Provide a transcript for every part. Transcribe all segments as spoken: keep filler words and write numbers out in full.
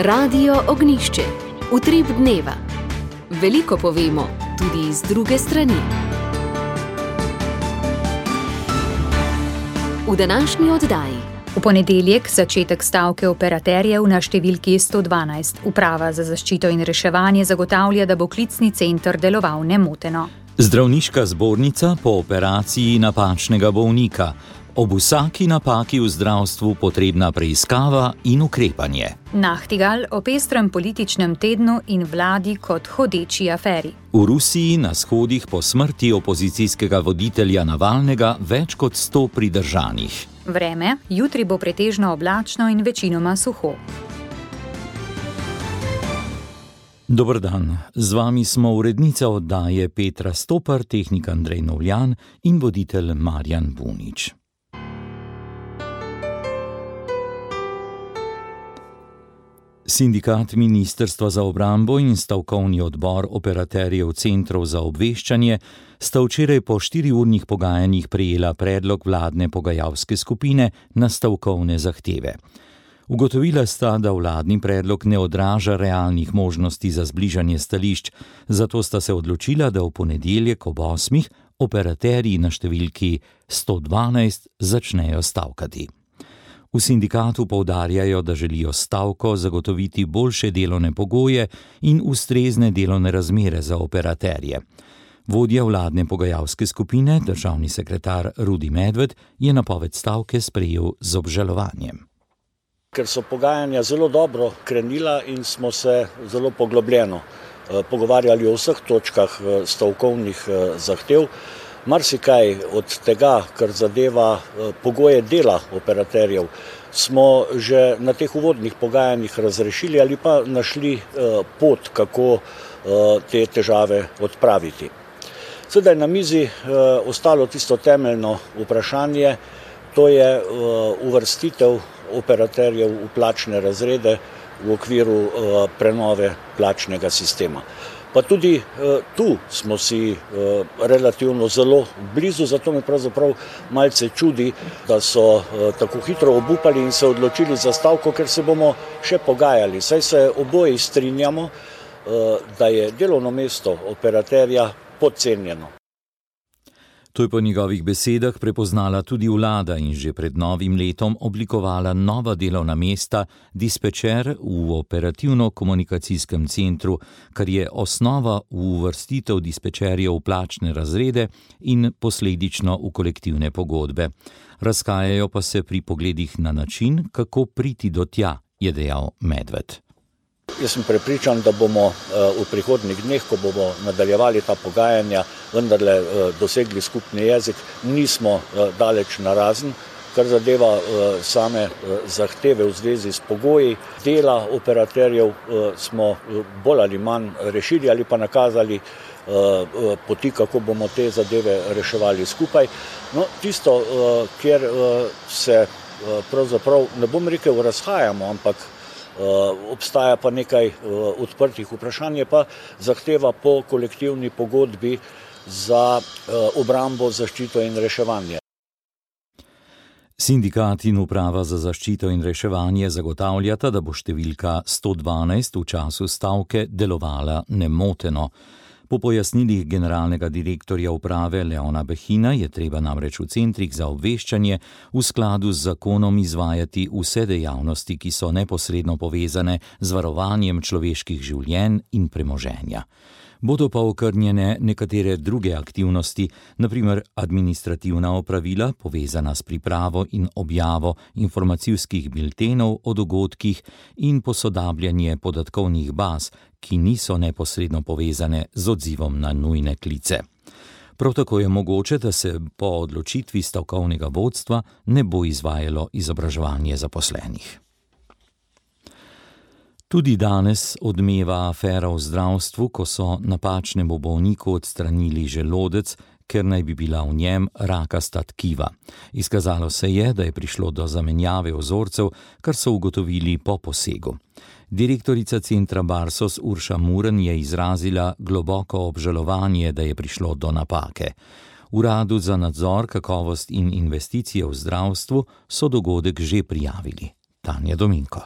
Radio Ognjišče. Utrip dneva. Veliko povemo, tudi iz druge strani. V današnji oddaji. V ponedeljek začetek stavke operaterjev na številki sto dvanajst. Uprava za zaščito in reševanje zagotavlja, da bo klicni center deloval nemoteno. Zdravniška zbornica po operaciji napačnega bolnika. Ob vsaki napaki v zdravstvu potrebna preiskava in ukrepanje. Nachtigal o pestrem političnem tednu in vladi kot hodeči aferi. V Rusiji na shodih po smrti opozicijskega voditelja Navalnega več kot sto pridržanih. Vreme, jutri bo pretežno oblačno in večinoma suho. Dober dan, z vami smo urednica oddaje Petra Stopar, tehnik Andrej Novljan in voditelj Marjan Bunič. Sindikat Ministrstva za obrambo in stavkovni odbor operaterjev centrov za obveščanje sta včeraj po štiriurnih pogajanjih prejela predlog vladne pogajalske skupine na stavkovne zahteve. Ugotovila sta, da vladni predlog ne odraža realnih možnosti za zbližanje stališč, zato sta se odločila, da v ponedeljek ob osmih operaterji na številki sto dvanajst začnejo stavkati. V sindikatu poudarjajo, da želijo stavko zagotoviti boljše delovne pogoje in ustrezne delovne razmere za operaterje. Vodja vladne pogajalske skupine, državni sekretar Rudi Medved, je napoved stavke sprejel z obžalovanjem. Ker so pogajanja zelo dobro krenila in smo se zelo poglobljeno pogovarjali o vseh točkah stavkovnih zahtev, marsikaj od tega, kar zadeva pogoje dela operaterjev, smo že na teh uvodnih pogajanjih razrešili ali pa našli pot, kako te težave odpraviti. Sedaj na mizi ostalo tisto temeljno vprašanje, to je uvrstitev operaterjev v plačne razrede v okviru prenove plačnega sistema. Pa tudi tu smo si relativno zelo blizu, zato me pravzaprav malce čudi, da so tako hitro obupali in se odločili za stavko, ker se bomo še pogajali. Saj se oboji strinjamo, da je delovno mesto operaterja podcenjeno. To je po njegovih besedah prepoznala tudi vlada in že pred novim letom oblikovala nova delovna mesta dispečer v operativno-komunikacijskem centru, kar je osnova v uvrstitev dispečerjev v plačne razrede in posledično v kolektivne pogodbe. Razhajajo pa se pri pogledih na način, kako priti do tja, je dejal Medved. Jaz sem prepričan, da bomo v prihodnjih dneh, ko bomo nadaljevali ta pogajanja, vendarle dosegli skupni jezik. Nismo daleč narazen, kar zadeva same zahteve v zvezi s pogoji dela operaterjev, smo bolj ali manj rešili ali pa nakazali poti, kako bomo te zadeve reševali skupaj. No, tisto, kjer se pravzaprav, ne bom rekel, razhajamo, ampak obstaja pa nekaj odprtih vprašanj, je pa zahteva po kolektivni pogodbi za obrambo, zaščito in reševanje. Sindikat in uprava za zaščito in reševanje zagotavljata, da bo številka sto dvanajst v času stavke delovala nemoteno. Po pojasnilih generalnega direktorja uprave Leona Behina je treba namreč v centrih za obveščanje v skladu z zakonom izvajati vse dejavnosti, ki so neposredno povezane z varovanjem človeških življenj in premoženja. Bodo pa okrnjene nekatere druge aktivnosti, na primer administrativna opravila, povezana s pripravo in objavo informacijskih biltenov o dogodkih in posodabljanje podatkovnih baz, ki niso neposredno povezane z odzivom na nujne klice. Prav tako je mogoče, da se po odločitvi stavkovnega vodstva ne bo izvajalo izobraževanje zaposlenih. Tudi danes odmeva afera v zdravstvu, ko so napačnemu bolniku odstranili želodec, ker naj bi bila v njem rakasta tkiva. Izkazalo se je, da je prišlo do zamenjave vzorcev, kar so ugotovili po posegu. Direktorica centra Barsos Urša Muren je izrazila globoko obžalovanje, da je prišlo do napake. Uradu za nadzor, kakovost in investicije v zdravstvu so dogodek že prijavili. Tanja Dominko.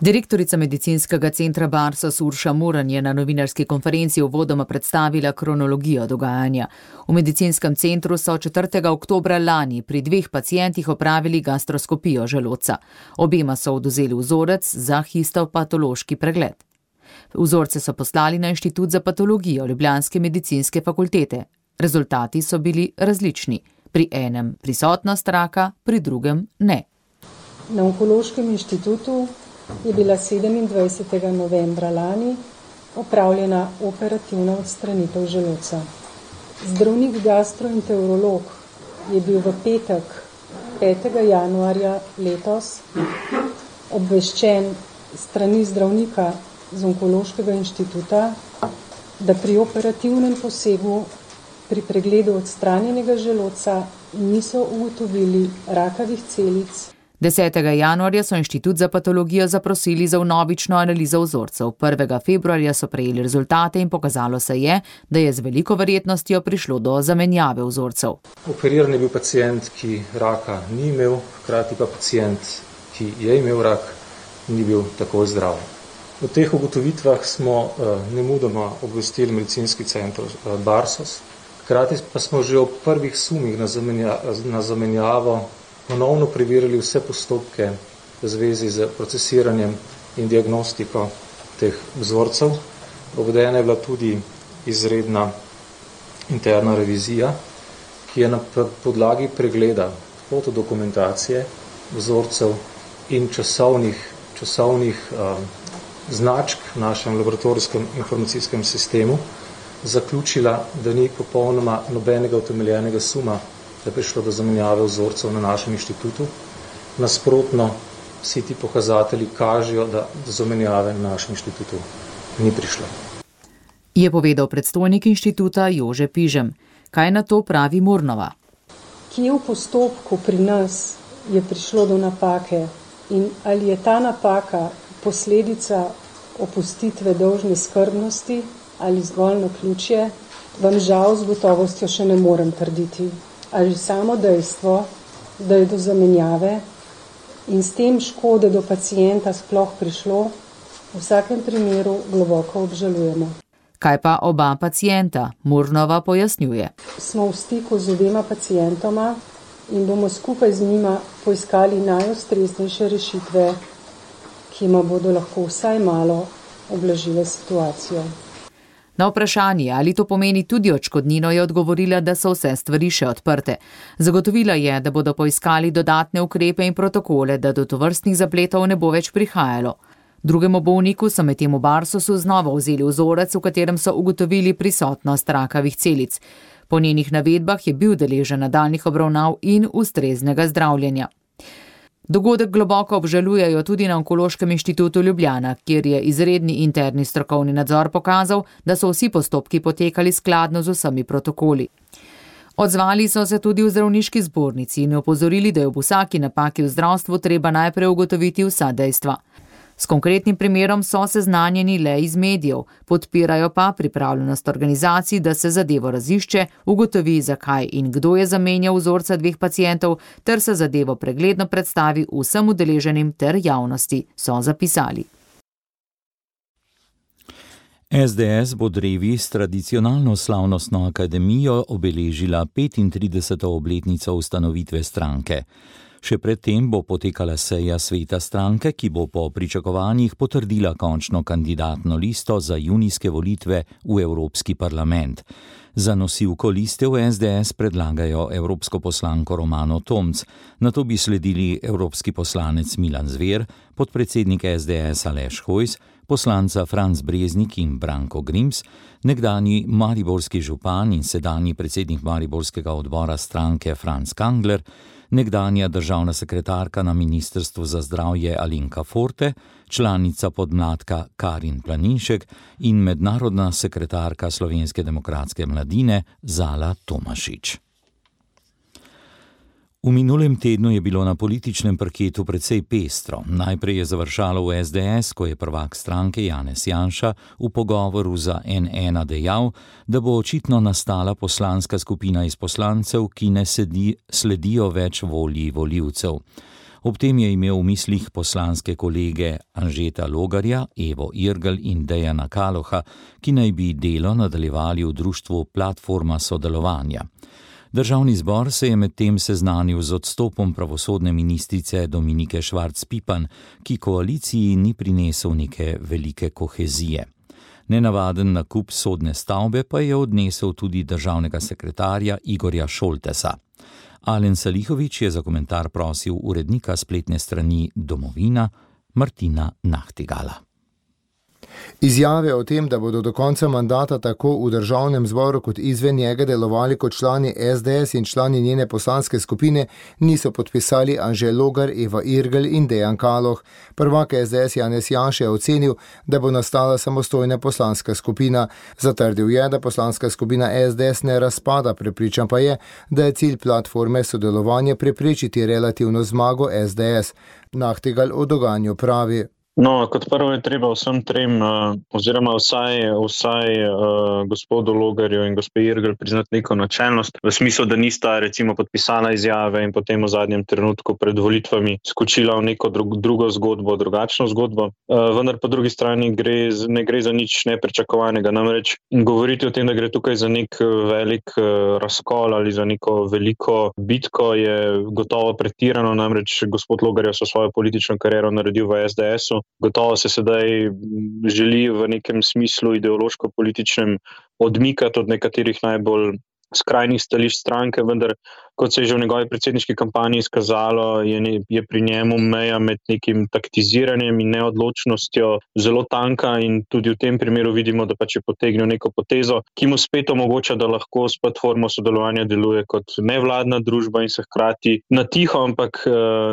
Direktorica medicinskega centra Barsos Urša Muran je na novinarski konferenci uvodoma predstavila kronologijo dogajanja. V medicinskem centru so četrtega oktobra lani pri dveh pacientih opravili gastroskopijo želodca. Obema so odvzeli vzorec za histopatološki pregled. Vzorce so poslali na Inštitut za patologijo Ljubljanske medicinske fakultete. Rezultati so bili različni. Pri enem prisotnost raka, pri drugem ne. Na Onkološkem inštitutu je bila sedemindvajsetega novembra lani opravljena operativna odstranitev želodca. Zdravnik gastroenterolog je bil v petek, petega januarja letos, obveščen strani zdravnika z Onkološkega inštituta, da pri operativnem posegu pri pregledu odstranjenega želodca niso ugotovili rakavih celic. desetega januarja so Inštitut za patologijo zaprosili za vnovično analizo vzorcev. prvega februarja so prejeli rezultate in pokazalo se je, da je z veliko verjetnostjo prišlo do zamenjave vzorcev. Operiran je bil pacient, ki raka ni imel, hkrati pa pacient, ki je imel rak, ni bil tako zdrav. V teh ugotovitvah smo uh, nemudoma obvestili medicinski center uh, Barsos, hkrati pa smo že ob prvih sumih na, zamenja, na zamenjavo ponovno preverili vse postopke v zvezi z procesiranjem in diagnostiko teh vzorcev. Provedena je bila tudi izredna interna revizija, ki je na podlagi pregleda fotodokumentacije vzorcev in časovnih, časovnih um, značk v našem laboratorijskem informacijskem sistemu zaključila, da ni popolnoma nobenega utemeljenega suma, da je prišlo do zamenjave vzorcev na našem inštitutu. Nasprotno, vsi ti pokazatelji kažejo, da do zamenjave na našem inštitutu ni prišlo. Je povedal predstojnik inštituta Jože Pižem. Kaj na to pravi Murnova? Kje v postopku pri nas je prišlo do napake in ali je ta napaka posledica opustitve dolžne skrbnosti ali zgolj naključje, vam žal z gotovostjo še ne morem trditi. Ali samo dejstvo, da je do zamenjave in s tem škode do pacienta sploh prišlo, v vsakem primeru globoko obžalujemo. Kaj pa oba pacienta? Murnova pojasnjuje. Smo v stiku z obema pacientoma in bomo skupaj z njima poiskali najustreznejše rešitve, ki jima bodo lahko vsaj malo ublažile situacijo. Na vprašanje, ali to pomeni tudi odškodnino, je odgovorila, da so vse stvari še odprte. Zagotovila je, da bodo poiskali dodatne ukrepe in protokole, da do tovrstnih zapletov ne bo več prihajalo. Drugemu bolniku so medtem v Barsosu znova vzeli vzorec, v katerem so ugotovili prisotnost rakavih celic. Po njenih navedbah je bil deležen nadaljnjih obravnav in ustreznega zdravljenja. Dogodek globoko obžalujejo tudi na Onkološkem inštitutu Ljubljana, kjer je izredni interni strokovni nadzor pokazal, da so vsi postopki potekali skladno z vsemi protokoli. Odzvali so se tudi v zdravniški zbornici in opozorili, da je ob vsaki napaki v zdravstvu treba najprej ugotoviti vsa dejstva. S konkretnim primerom so seznanjeni le iz medijev, podpirajo pa pripravljenost organizacij, da se zadevo razišče, ugotovi, zakaj in kdo je zamenjal vzorca dveh pacientov, ter se zadevo pregledno predstavi vsem udeleženim ter javnosti, so zapisali. S D S bo drevi s tradicionalno slavnostno akademijo obeležila petintrideseto obletnico ustanovitve stranke. Še predtem bo potekala seja sveta stranke, ki bo po pričakovanjih potrdila končno kandidatno listo za junijske volitve v Evropski parlament. Za nosilko liste v S D S predlagajo evropsko poslanko Romano Tomc, nato bi sledili evropski poslanec Milan Zver, podpredsednik S D S Aleš Hojs, poslanca Franc Breznik in Branko Grims, nekdanji mariborski župan in sedanji predsednik mariborskega odbora stranke Franc Kangler, nekdanja državna sekretarka na Ministrstvu za zdravje Alenka Forte, članica podmladka Karin Planinšek in mednarodna sekretarka Slovenske demokratske mladine Zala Tomašič. V minulem tednu je bilo na političnem parketu precej pestro. Najprej je završalo v S D S, ko je prvak stranke Janez Janša v pogovoru za N ena dejal, da bo očitno nastala poslanska skupina iz poslancev, ki ne sedi, sledijo več volji volivcev. Ob tem je imel v mislih poslanske kolege Anžeta Logarja, Evo Irgl in Dejana Kaloha, ki naj bi delo nadaljevali v društvu Platforma sodelovanja. Državni zbor se je medtem seznanil z odstopom pravosodne ministrice Dominike Švarc Pipan, ki koaliciji ni prinesel neke velike kohezije. Nenavaden nakup sodne stavbe pa je odnesel tudi državnega sekretarja Igorja Šoltesa. Alen Salihović je za komentar prosil urednika spletne strani Domovina Martina Nahtigala. Izjave o tem, da bodo do konca mandata tako v državnem zboru kot izven njega delovali kot člani es de es in člani njene poslanske skupine, niso podpisali Anže Logar, Eva Irgl in Dejan Kaloh. Prvak es de es Janez Janša je ocenil, da bo nastala samostojna poslanska skupina. Zatrdil je, da poslanska skupina es de es ne razpada, prepričan pa je, da je cilj platforme sodelovanja preprečiti relativno zmago es de es. Nahtigal o dogajanju pravi. No, kot prvo je treba vsem trem, oziroma vsaj, vsaj uh, gospodu Logarju in gospe Irgl priznati neko načelnost, v smislu, da nista recimo podpisala izjave in potem v zadnjem trenutku pred volitvami skočila v neko drug, drugo zgodbo, drugačno zgodbo. Uh, vendar po drugi strani gre, ne gre za nič nepričakovanega. Namreč govoriti o tem, da gre tukaj za nek velik uh, razkol ali za neko veliko bitko, je gotovo pretirano. Namreč gospod Logar je so svojo politično kariero naredil v es de esu. Gotovo se sedaj želi v nekem smislu ideološko-političnem odmikati od nekaterih najbolj skrajnih stališč stranke, vendar kot se je že v njegovi predsedniški kampanji izkazalo, je, ne, je pri njemu meja med nekim taktiziranjem in neodločnostjo zelo tanka in tudi v tem primeru vidimo, da pač je potegnil neko potezo, ki mu spet omogoča, da lahko s platformo sodelovanja deluje kot nevladna družba in se hkrati na tiho, ampak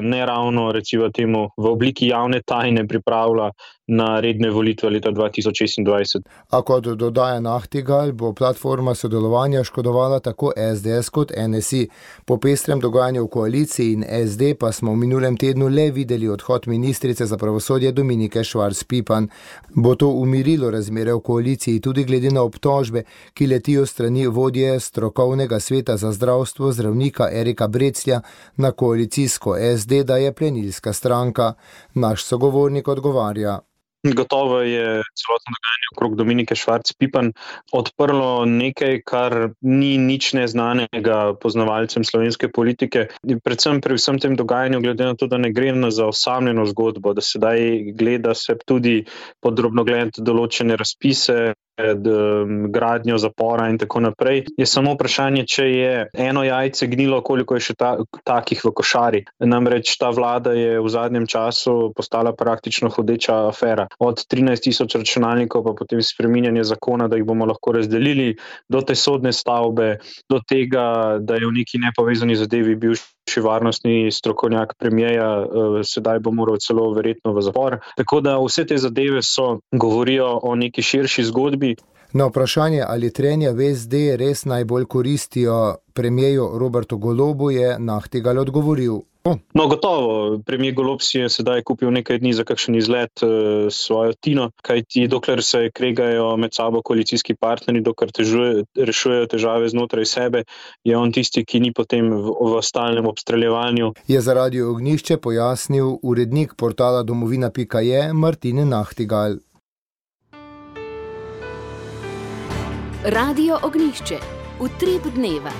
ne ravno recimo temu v obliki javne tajne pripravlja na redne volitve leta dva tisoč šestindvajset. A kot dodaja Nahtigal, bo platforma sodelovanja škodovala tako es de es kot en es i. Po pestrem dogajanju v koaliciji in es de pa smo v minulem tednu le videli odhod ministrice za pravosodje Dominike Švarc Pipan. Bo to umirilo razmere v koaliciji tudi glede na obtožbe, ki letijo strani vodje strokovnega sveta za zdravstvo zdravnika Erika Breclja na koalicijsko es de, da je plenilska stranka. Naš sogovornik odgovarja. Gotovo je celotno dogajanje okrog Dominike Švarc Pipan odprlo nekaj, kar ni nič neznanega poznavalcem slovenske politike. Predvsem pri vsem tem dogajanju, glede na to, da ne gre za osamljeno zgodbo, da sedaj gleda se tudi podrobno gledati določene razpise, gradnjo zapora in tako naprej. Je samo vprašanje, če je eno jajce gnilo, koliko je še ta, takih v košari. Namreč ta vlada je v zadnjem času postala praktično hodeča afera. Od trinajst tisoč računalnikov pa potem spreminjanje zakona, da jih bomo lahko razdelili, do te sodne stavbe, do tega, da je v neki nepovezani zadevi bil še varnostni strokovnjak premijeja, sedaj bo moral celo verjetno v zapor. Tako da vse te zadeve so govorijo o neki širši zgodbi. Na vprašanje, ali trenja v es de res najbolj koristijo premijeju Robertu Golobu, je Nahtigal odgovoril. No, gotovo. Premijer Golob si je sedaj kupil nekaj dni za kakšen izlet uh, svojo Tino, kajti dokler se kregajo med sabo koalicijski partnerji, dokler težuje, rešujejo težave znotraj sebe, je on tisti, ki ni potem v, v stalnem obstreljevanju. Je za Radio Ognjišče pojasnil urednik portala domovina pika je Martin Nahtigal. Radio Ognjišče. Utrip dneva.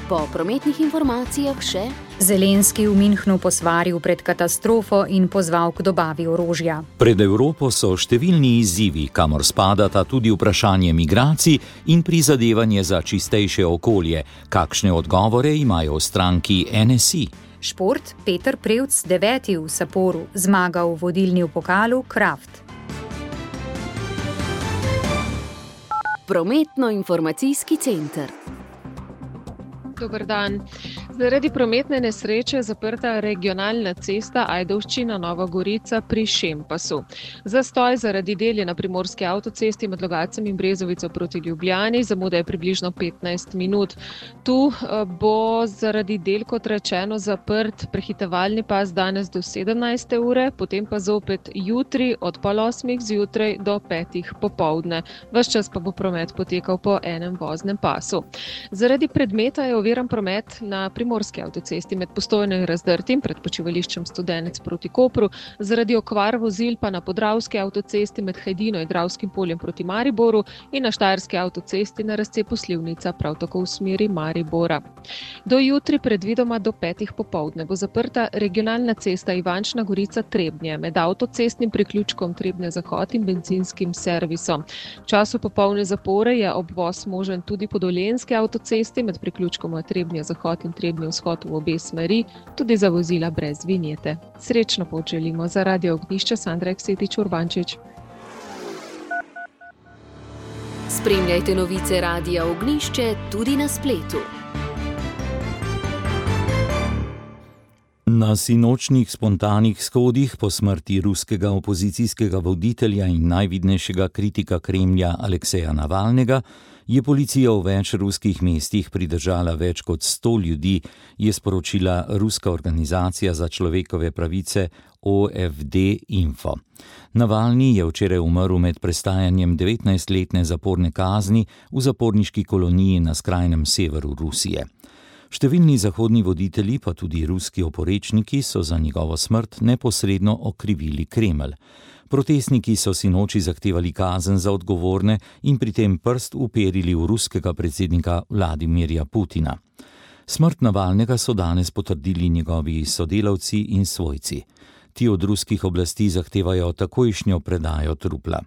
Po prometnih informacijah še Zelenski v Münchnu posvaril pred katastrofo in pozval k dobavi orožja. Pred Evropo so številni izzivi, kamor spadata tudi vprašanje migracij in prizadevanje za čistejše okolje. Kakšne odgovore imajo v stranki en es i? Šport, Peter Prevc, deveti v Saporu, zmagal v vodilni v pokalu Kraft. Prometno-informacijski center. Dober dan. Zaradi prometne nesreče je zaprta regionalna cesta Ajdovščina-Nova Gorica pri Šempasu. Zastoj zaradi del je na primorski avtocesti med Logatcem in Brezovico proti Ljubljani, zamuda je približno petnajst minut. Tu bo zaradi del, kot rečeno, zaprt prehitevalni pas danes do sedemnajste ure, potem pa zopet jutri od pol osmih zjutraj do petih popoldne. Ves čas pa bo promet potekal po enem voznem pasu. Zaradi predmeta je oviran promet na primorski primorski avtocesti med Postojno in Razdrtim pred počivališčem Studenec proti Kopru, zaradi okvar vozil pa na Podravski avtocesti med Hajdino in Dravskim poljem proti Mariboru in na Štajerski avtocesti na razcepu Slivnica prav tako v smeri Maribora. Do jutri predvidoma do petih popoldne bo zaprta regionalna cesta Ivančna Gorica-Trebnje med avtocestnim priključkom Trebnje-Zahod in benzinskim servisom. V času popolne zapore je obvoz možen tudi po Dolenjski avtocesti med priključkoma Trebnje-Zahod in Trebnje-Vzhod v obe smeri, tudi za vozila brez vinjete. Srečno pot želimo. Za Radio Ognjišče Sandra Eksetič Urbančič. Spremljajte novice Radia Ognjišče tudi na spletu. Na sinočnih spontanih shodih po smrti ruskega opozicijskega voditelja in najvidnejšega kritika Kremlja Alekseja Navalnega je policija v več ruskih mestih pridržala več kot sto ljudi, je sporočila ruska organizacija za človekove pravice O F D Info. Navalni je včeraj umrl med prestajanjem devetnajstletne zaporne kazni v zaporniški koloniji na skrajnem severu Rusije. Številni zahodni voditelji, pa tudi ruski oporečniki, so za njegovo smrt neposredno okrivili Kremelj. Protestniki so sinoči zahtevali kazen za odgovorne in pri tem prst uperili v ruskega predsednika Vladimirja Putina. Smrt Navalnega so danes potrdili njegovi sodelavci in svojci. Ti od ruskih oblasti zahtevajo takojšnjo predajo trupla.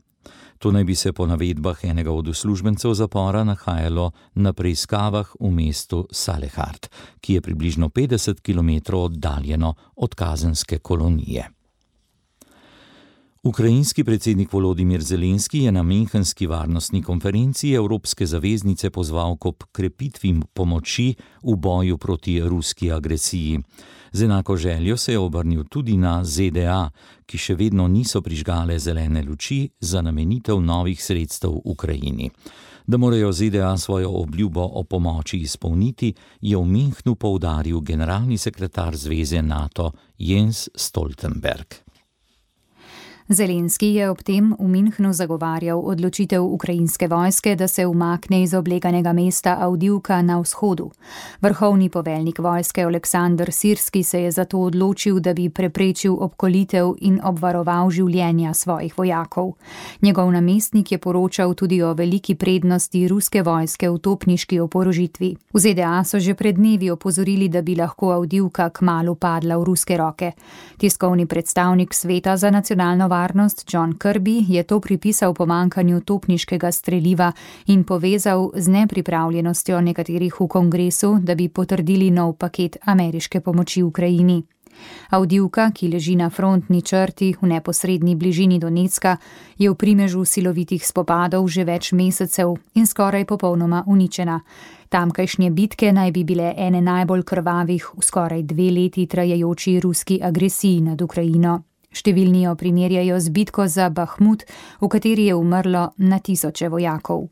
To naj bi se po navedbah enega od uslužbencev zapora nahajalo na preiskavah v mestu Salehard, ki je približno petdeset kilometrov oddaljeno od kazenske kolonije. Ukrajinski predsednik Volodimir Zelenski je na Münchenski varnostni konferenci Evropske zaveznice pozval k krepitvi pomoči v boju proti ruski agresiji. Z enako željo se je obrnil tudi na Z D A, ki še vedno niso prižgale zelene luči za namenitev novih sredstev v Ukrajini. Da morajo Z D A svojo obljubo o pomoči izpolniti, je v Münchnu poudaril generalni sekretar Zveze NATO Jens Stoltenberg. Zelenski je ob tem v Münchnu zagovarjal odločitev ukrajinske vojske, da se umakne iz obleganega mesta Avdijivka na vzhodu. Vrhovni poveljnik vojske Oleksandr Sirski se je zato odločil, da bi preprečil obkolitev in obvaroval življenja svojih vojakov. Njegov namestnik je poročal tudi o veliki prednosti ruske vojske v topniški oporožitvi. V Z D A so že pred dnevi opozorili, da bi lahko Avdijivka kmalu padla v ruske roke. Tiskovni predstavnik Sveta za nacionalno varnost varnost John Kirby je to pripisal pomankanju topniškega streliva in povezal z nepripravljenostjo nekaterih v kongresu, da bi potrdili nov paket ameriške pomoči Ukrajini. Avdijivka, ki leži na frontni črti v neposredni bližini Donecka, je v primežu silovitih spopadov že več mesecev in skoraj popolnoma uničena. Tamkajšnje bitke naj bi bile ene najbolj krvavih v skoraj dve leti trajajoči ruski agresiji nad Ukrajino. Številni jo primerjajo z bitko za Bahmut, v kateri je umrlo na tisoče vojakov.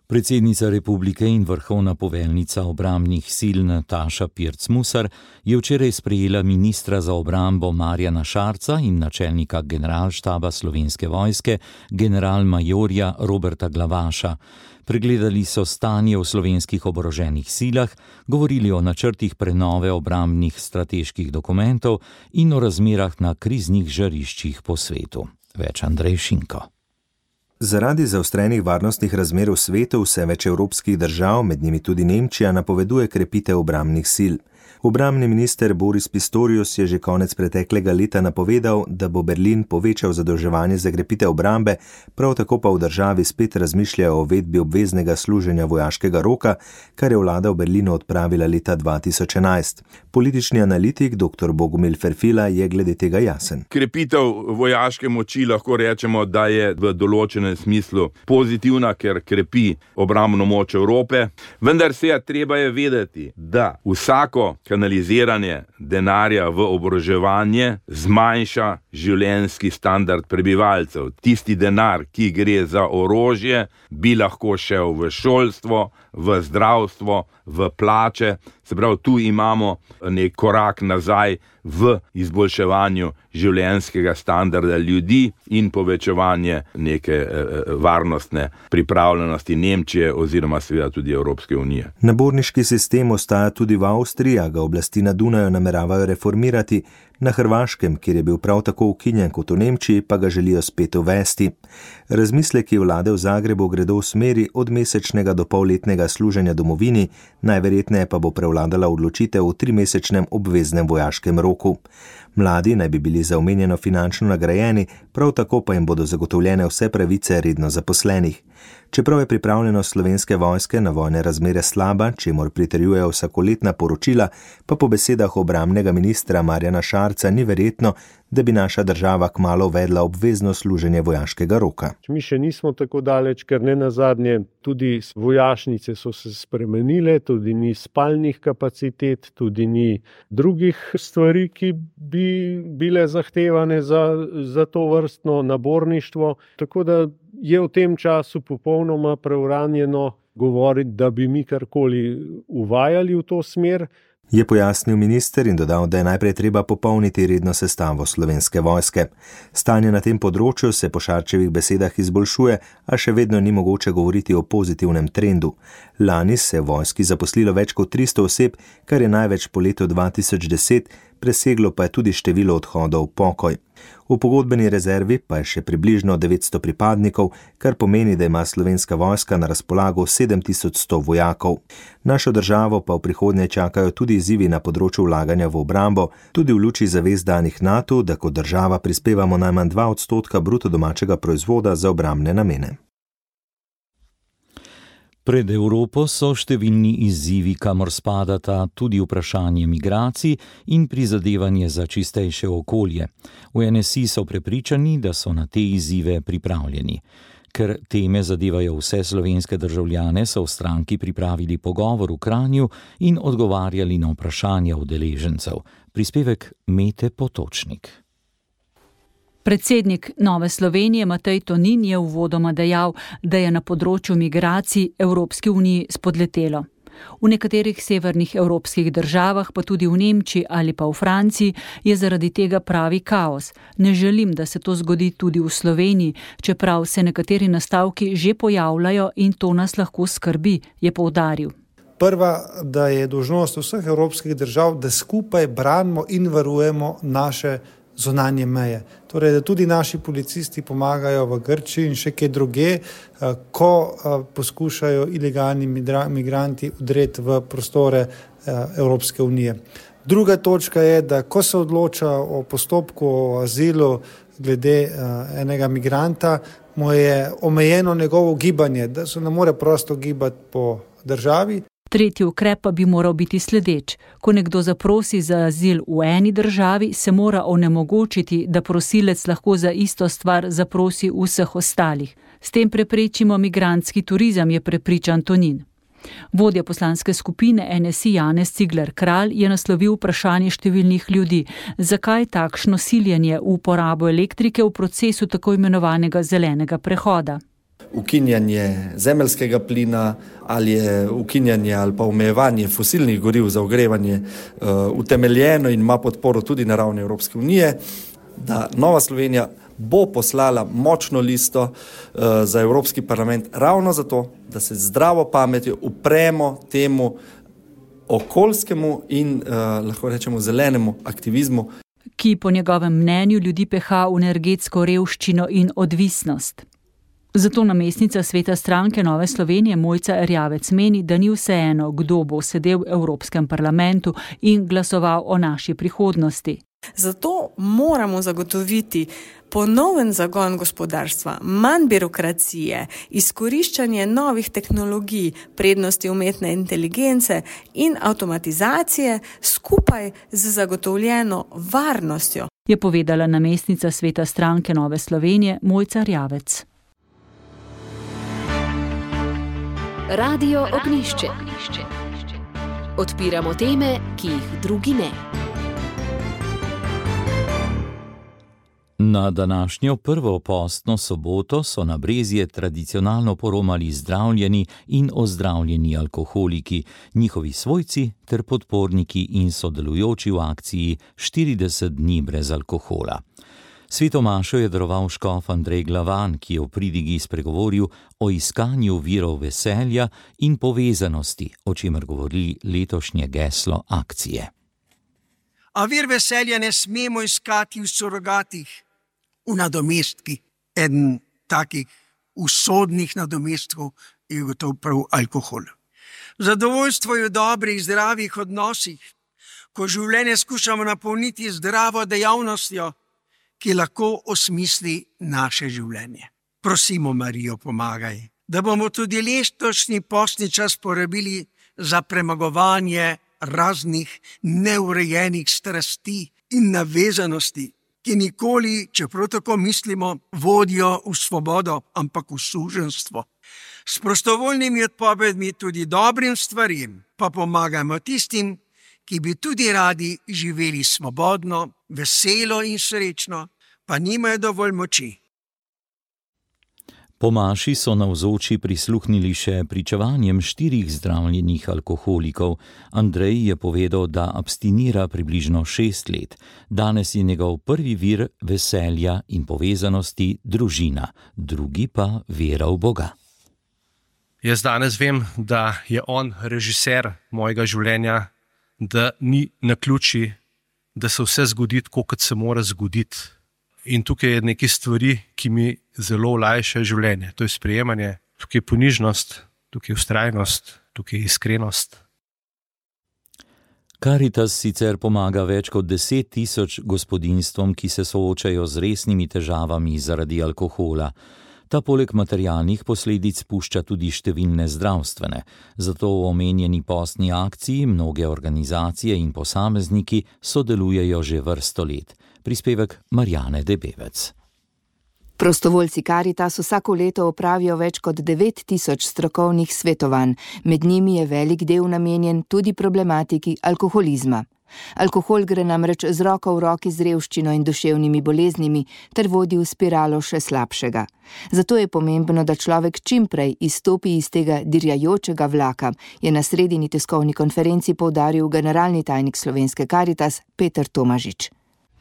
Predsednica republike in vrhovna poveljnica obrambnih sil Nataša Pirc-Musar je včeraj sprejela ministra za obrambo Marjana Šarca in načelnika generalštaba Slovenske vojske, generalmajorja Roberta Glavaša. Pregledali so stanje v slovenskih oboroženih silah, govorili o načrtih prenove obrambnih strateških dokumentov in o razmerah na kriznih žariščih po svetu. Več Andrej Šinko. Zaradi zaostrenih varnostnih razmer v svetu vse več evropskih držav, med njimi tudi Nemčija, napoveduje krepitev obrambnih sil. Obrambni minister Boris Pistorius je že konec preteklega leta napovedal, da bo Berlin povečal zadolževanje za krepitev obrambe, prav tako pa v državi spet razmišljajo o uvedbi obveznega služenja vojaškega roka, kar je vlada v Berlinu odpravila leta dva tisoč enajst. Politični analitik dr. Bogomil Ferfila je glede tega jasen. Krepitev vojaške moči lahko rečemo, da je v določenem smislu pozitivna, ker krepi obrambno moč Evrope, vendar se je treba je vedeti, da vsako kanaliziranje denarja v oboroževanje zmanjša življenjski standard prebivalcev. Tisti denar, ki gre za orožje, bi lahko šel v šolstvo, v zdravstvo, v plače. Se pravi, tu imamo nek korak nazaj v izboljševanju življenjskega standarda ljudi in povečevanje neke varnostne pripravljenosti Nemčije oziroma seveda tudi Evropske unije. Naborniški sistem ostaja tudi v Avstriji, a ga oblasti na Dunaju nameravajo reformirati. Na Hrvaškem, kjer je bil prav tako ukinjen kot v Nemčiji, pa ga želijo spet uvesti. Razmisleki vlade v Zagrebu gredo v smeri od mesečnega do polletnega služenja domovini, najverjetneje pa bo prevladala odločitev v trimesečnem obveznem vojaškem roku. Mladi naj bi bili za omenjeno finančno nagrajeni, prav tako pa jim bodo zagotovljene vse pravice redno zaposlenih. Čeprav je pripravljenost Slovenske vojske na vojne razmere slaba, čemur pritrjujejo vsakoletna poročila, pa po besedah obrambnega ministra Marjana Šarca ni verjetno, da bi naša država kmalu uvedla obvezno služenje vojaškega roka. Mi še nismo tako daleč, ker ne nazadnje tudi vojašnice so se spremenile, tudi ni spalnih kapacitet, tudi ni drugih stvari, ki bi bile zahtevane za, za to vrstno naborništvo. Tako da je v tem času popolnoma preuranjeno govoriti, da bi mi karkoli uvajali v to smer. Je pojasnil minister in dodal, da je najprej treba popolniti redno sestavo Slovenske vojske. Stanje na tem področju se po Šarčevih besedah izboljšuje, a še vedno ni mogoče govoriti o pozitivnem trendu. Lani se je v vojski zaposlilo več kot tristo oseb, kar je največ po letu dva tisoč deset, preseglo pa je tudi število odhodov v pokoj. V pogodbeni rezervi pa je še približno devetsto pripadnikov, kar pomeni, da ima Slovenska vojska na razpolago sedem tisoč sto vojakov. Našo državo pa v prihodnje čakajo tudi izzivi na področju vlaganja v obrambo, tudi v luči zavez danih NATO, da kot država prispevamo najmanj dva odstotka bruto domačega proizvoda za obrambne namene. Pred Evropo so številni izzivi, kamor spadata tudi vprašanje migracij in prizadevanje za čistejše okolje. V N S I so prepričani, da so na te izzive pripravljeni. Ker teme zadevajo vse slovenske državljane, so v stranki pripravili pogovor v Kranju in odgovarjali na vprašanja udeležencev. Prispevek Mete Potočnik. Predsednik Nove Slovenije Matej Tonin je uvodoma dejal, da je na področju migracij Evropski uniji spodletelo. V nekaterih severnih evropskih državah, pa tudi v Nemčiji ali pa v Franciji, je zaradi tega pravi kaos. Ne želim, da se to zgodi tudi v Sloveniji, čeprav se nekateri nastavki že pojavljajo in to nas lahko skrbi, je poudaril. Prva, da je dolžnost vseh evropskih držav, da skupaj branimo in varujemo naše zunanje meje. Torej, da tudi naši policisti pomagajo v Grčiji in še kje druge, ko poskušajo ilegalni migranti vdreti v prostore Evropske unije. Druga točka je, da ko se odloča o postopku o azilu glede enega migranta, mu je omejeno njegovo gibanje, da se ne more prosto gibati po državi. Tretji ukrep pa bi moral biti sledeč. Ko nekdo zaprosi za azil v eni državi, se mora onemogočiti, da prosilec lahko za isto stvar zaprosi v vseh ostalih. S tem preprečimo migrantski turizem, je prepričan Tonin. Vodja poslanske skupine N S I Janez Cigler Kralj je naslovil vprašanje številnih ljudi, zakaj takšno siljenje v uporabo elektrike v procesu tako imenovanega zelenega prehoda. Ukinjanje zemeljskega plina ali je ukinjanje ali pa omejevanje fosilnih goriv za ogrevanje uh, utemeljeno in ima podporo tudi na ravni Evropske unije, da Nova Slovenija bo poslala močno listo uh, za Evropski parlament ravno zato, da se zdravo pametjo upremo temu okoljskemu in uh, lahko rečemo zelenemu aktivizmu, ki po njegovem mnenju ljudi peha v energetsko revščino in odvisnost. Zato namestnica sveta stranke Nove Slovenije Mojca Erjavec meni, da ni vseeno, kdo bo sedel v Evropskem parlamentu in glasoval o naši prihodnosti. Zato moramo zagotoviti ponoven zagon gospodarstva, manj birokracije, izkoriščanje novih tehnologij, prednosti umetne inteligence in avtomatizacije skupaj z zagotovljeno varnostjo, je povedala namestnica sveta stranke Nove Slovenije Mojca Erjavec. Radio Ognjišče. Odpiramo teme, ki jih drugi ne. Na današnjo prvo postno soboto so na Brezje tradicionalno poromali zdravljeni in ozdravljeni alkoholiki, njihovi svojci ter podporniki in sodelujoči v akciji štirideset dni brez alkohola. Sveto mašo je daroval škof Andrej Glavan, ki je v pridigi spregovoril o iskanju virov veselja in povezanosti, o čemer govori letošnje geslo akcije. A vir veselja ne smemo iskati v surogatih, v nadomestki. Eden takih usodnih nadomestkov je gotovo prav alkohol. Zadovoljstvo je v dobrih, zdravih odnosih, ko življenje skušamo napolniti zdravo dejavnostjo, ki lahko osmisli naše življenje. Prosimo Marijo, pomagaj, da bomo tudi letošnji postni čas porabili za premagovanje raznih neurejenih strasti in navezanosti, ki nikoli, čeprav tako mislimo, vodijo v svobodo, ampak v suženjstvo. S prostovoljnimi odpovedmi tudi dobrim stvarim pa pomagamo tistim, ki bi tudi radi živeli svobodno, veselo in srečno, pa nimajo dovolj moči. Po maši so navzoči prisluhnili še pričevanjem štirih zdravljenih alkoholikov. Andrej je povedal, da abstinira približno šest let. Danes je njegov prvi vir veselja in povezanosti družina, drugi pa vera v Boga. Jaz danes vem, da je on režiser mojega življenja, da ni naključij, da se vse zgodi tako, kot se mora zgoditi. In tukaj je nekaj stvari, ki mi zelo olajšajo življenje. To je sprejemanje, tukaj je ponižnost, tukaj je vztrajnost, tukaj je iskrenost. Karitas sicer pomaga več kot deset tisoč gospodinjstvom, ki se soočajo z resnimi težavami zaradi alkohola. Ta poleg materialnih posledic pušča tudi številne zdravstvene. Zato v omenjeni postni akciji mnoge organizacije in posamezniki sodelujejo že vrsto let. Prispevek Marjane Debevec. Prostovoljci Karitas vsako leto opravijo več kot devet tisoč strokovnih svetovanj, med njimi je velik del namenjen tudi problematiki alkoholizma. Alkohol gre namreč z roko v roki z revščino in duševnimi boleznimi ter vodi v spiralo še slabšega. Zato je pomembno, da človek čim prej izstopi iz tega dirjajočega vlaka, je na sredini tiskovni konferenci poudaril generalni tajnik Slovenske Karitas Peter Tomažič.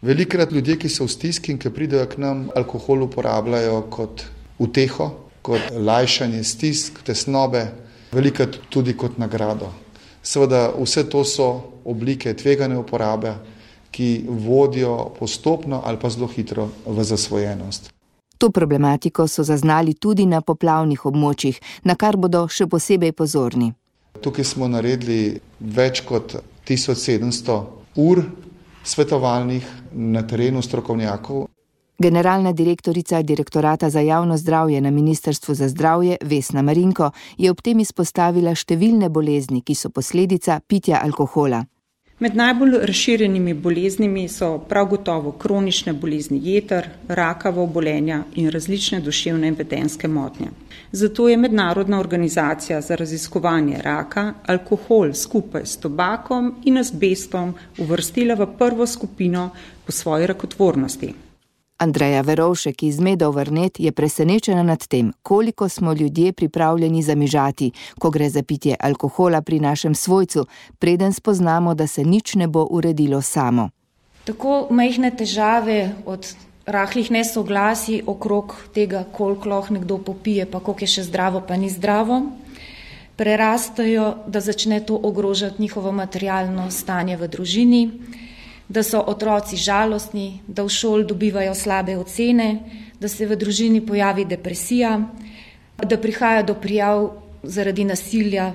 Velikrat ljudje, ki so v stiski in ki pridejo k nam, alkohol uporabljajo kot uteho, kot lajšanje stisk, tesnobe, velikrat tudi kot nagrado. Seveda vse to so oblike tvegane uporabe, ki vodijo postopno ali pa zelo hitro v zasvojenost. To problematiko so zaznali tudi na poplavnih območjih, na kar bodo še posebej pozorni. Tukaj smo naredili več kot tisoč sedemsto ur svetovalnih na terenu strokovnjakov. Generalna direktorica Direktorata za javno zdravje na Ministrstvu za zdravje Vesna Marinko je ob tem izpostavila številne bolezni, ki so posledica pitja alkohola. Med najbolj razširjenimi boleznimi so prav gotovo kronične bolezni jeter, rakava obolenja in različne duševne in vedenjske motnje. Zato je Mednarodna organizacija za raziskovanje raka alkohol skupaj s tobakom in azbestom uvrstila v prvo skupino po svoji rakotvornosti. Andreja Verovšek iz Medov Vrnet je presenečena nad tem, koliko smo ljudje pripravljeni zamižati, ko gre za pitje alkohola pri našem svojcu, preden spoznamo, da se nič ne bo uredilo samo. Tako majhne težave od rahlih nesoglasij okrog tega, koliko lahko nekdo popije, pa koliko je še zdravo, pa ni zdravo, prerastajo, da začne to ogrožati njihovo materialno stanje v družini, da so otroci žalostni, da v šoli dobivajo slabe ocene, da se v družini pojavi depresija, da prihaja do prijav zaradi nasilja.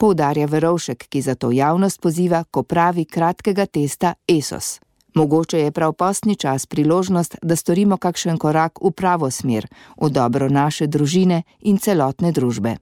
Poudarja Verovšek, ki zato javnost poziva k opravi kratkega testa E S O S. Mogoče je prav postni čas priložnost, da storimo kakšen korak v pravo smer, v dobro naše družine in celotne družbe.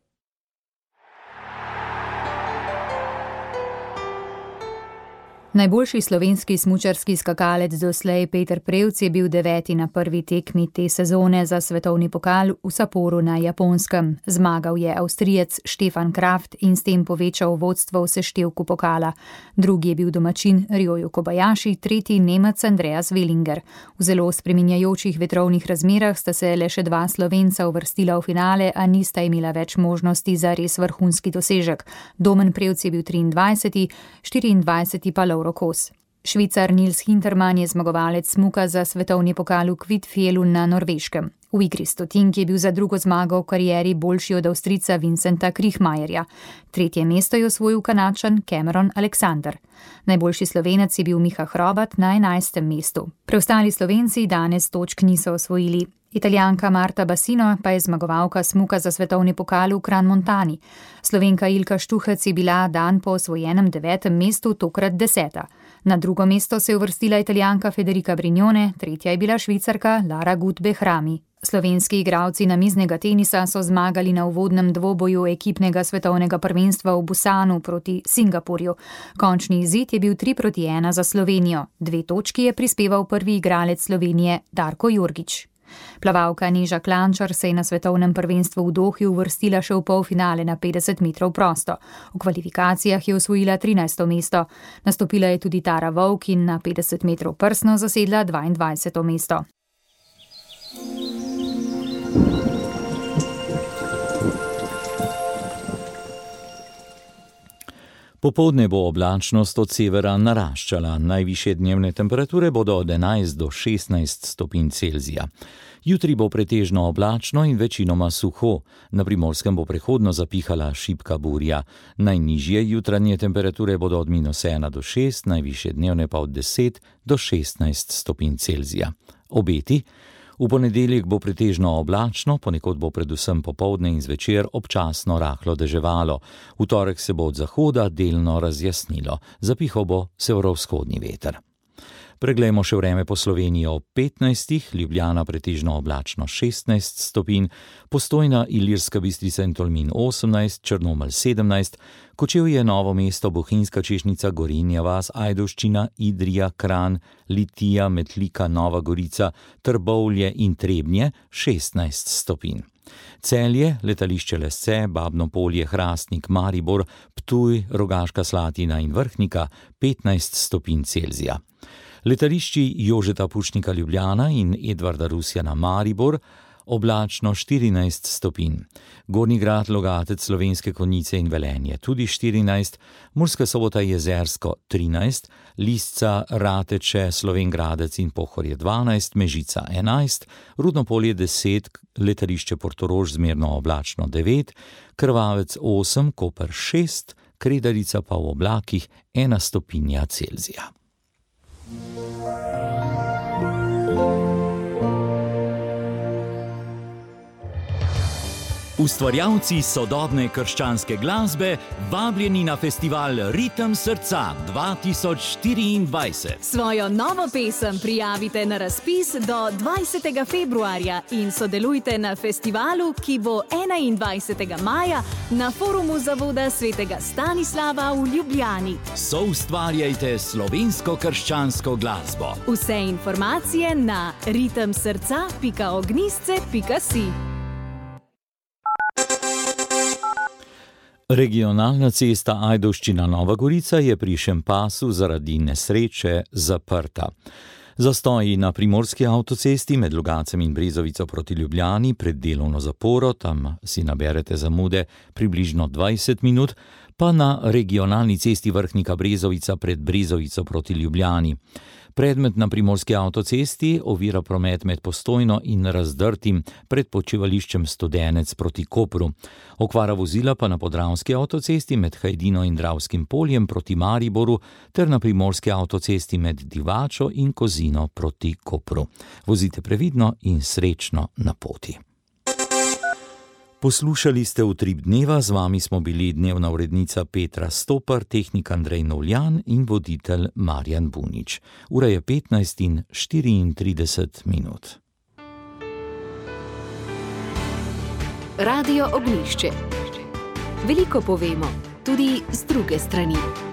Najboljši slovenski smučarski skakalec doslej Peter Prevc je bil deveti na prvi tekmi te sezone za svetovni pokal v Sapporu na Japonskem. Zmagal je Avstrijec Stefan Kraft in s tem povečal vodstvo v seštevku pokala. Drugi je bil domačin Ryoyu Kobayashi, tretji Nemec Andreas Wellinger. V zelo spreminjajočih vetrovnih razmerah sta se le še dva Slovenca uvrstila v finale, a nista imela več možnosti za res vrhunski dosežek. Domen Prevc je bil triindvajseti, štiriindvajseti pa Rokos. Švicar Nils Hintermann je zmagovalec smuka za svetovni pokal v Kvitfjelu na Norveškem. V igri stotink je bil za drugo zmago v karieri boljši od Avstrijca Vincenta Kriechmayerja. Tretje mesto je osvojil Kanačan Cameron Alexander. Najboljši Slovenec je bil Miha Hrobat na enajstem mestu. Preostali Slovenci danes točk niso osvojili. Italijanka Marta Bassino pa je zmagovalka smuka za svetovni pokal v Crans-Montani. Slovenka Ilka Štuhec je bila dan po osvojenem devetem mestu tokrat deseta. Na drugo mesto se je uvrstila Italijanka Federica Brignone, tretja je bila Švicarka Lara Gut-Behrami. Slovenski igralci namiznega tenisa so zmagali na uvodnem dvoboju ekipnega svetovnega prvenstva v Busanu proti Singapurju. Končni izid je bil tri proti ena za Slovenijo. Dve točki je prispeval prvi igralec Slovenije Darko Jorgič. Plavalka Neža Klančar se je na svetovnem prvenstvu v Dohi uvrstila še v polfinale na petdeset metrov prosto. V kvalifikacijah je osvojila trinajsto mesto. Nastopila je tudi Tara Vovk in na petdeset metrov prsno zasedla dvaindvajseto mesto. Popoldne bo oblačnost od severa naraščala, najvišje dnevne temperature bodo od enajst do šestnajst stopinj Celzija. Jutri bo pretežno oblačno in večinoma suho, na Primorskem bo prehodno zapihala šibka burja. Najnižje jutranje temperature bodo od minus ena do šest, najvišje dnevne pa od deset do šestnajst stopinj Celzija. Obeti? V ponedeljek bo pretežno oblačno, ponekod bo predvsem popoldne in zvečer občasno rahlo deževalo. V torek se bo od zahoda delno razjasnilo, zapihal bo severovzhodni veter. Preglejmo še vreme po Sloveniji ob petnajstih, Ljubljana pretežno oblačno šestnajst stopinj, Postojna, Ilirska Bistrica in Tolmin osemnajst, Črnomelj sedemnajst, Kočevje, Novo mesto, Bohinjska Češnica, Gorenja vas, Ajdovščina, Idrija, Kranj, Litija, Metlika, Nova Gorica, Trbovlje in Trebnje šestnajst stopinj. Celje, Letališče Lesce, Babno Polje, Hrastnik, Maribor, Ptuj, Rogaška Slatina in Vrhnika petnajst stopinj Celzija. Letališči Jožeta Pušnika Ljubljana in Edvarda Rusjana Maribor oblačno štirinajst stopinj. Gornji Grad, Logatec, Slovenske Konjice in Velenje tudi štirinajst, Murska Sobota, Jezersko trinajst, Lisca, Rateče, Slovenj Gradec in Pohorje dvanajst, Mežica enajst, Rudno Polje deset, Letališče Portorož zmerno oblačno devet, Krvavec osem, Koper šest, Kredarica pa v oblakih ena stopinja Celzija. Ustvarjalci sodobne krščanske glasbe vabljeni na festival Ritem srca dva tisoč štiriindvajset. Svojo novo pesem prijavite na razpis do dvajsetega februarja in sodelujte na festivalu, ki bo enaindvajsetega maja na forumu Zavoda svetega Stanislava v Ljubljani. Soustvarjajte slovensko krščansko glasbo. Vse informacije na ritem srca pika ognjisce pika si. Regionalna cesta Ajdovščina-Nova Gorica je pri Šempasu zaradi nesreče zaprta. Zastoji na primorski avtocesti med Logacem in Brezovico proti Ljubljani pred delovno zaporo, tam si naberete zamude približno dvajset minut, pa na regionalni cesti Vrhnika-Brezovica pred Brezovico proti Ljubljani. Predmet na primorski avtocesti ovira promet med Postojno in Razdrtim pred počivališčem Studenec proti Kopru. Okvara vozila pa na podravski avtocesti med Hajdino in Dravskim poljem proti Mariboru ter na primorski avtocesti med Divačo in Kozino proti Kopru. Vozite previdno in srečno na poti. Poslušali ste Utrip dneva, z vami smo bili dnevna urednica Petra Stopar, tehnik Andrej Novljan in voditelj Marjan Bunič. Ura je petnajst in štiriintrideset minut. Radio Ognjišče. Veliko povemo, tudi z druge strani.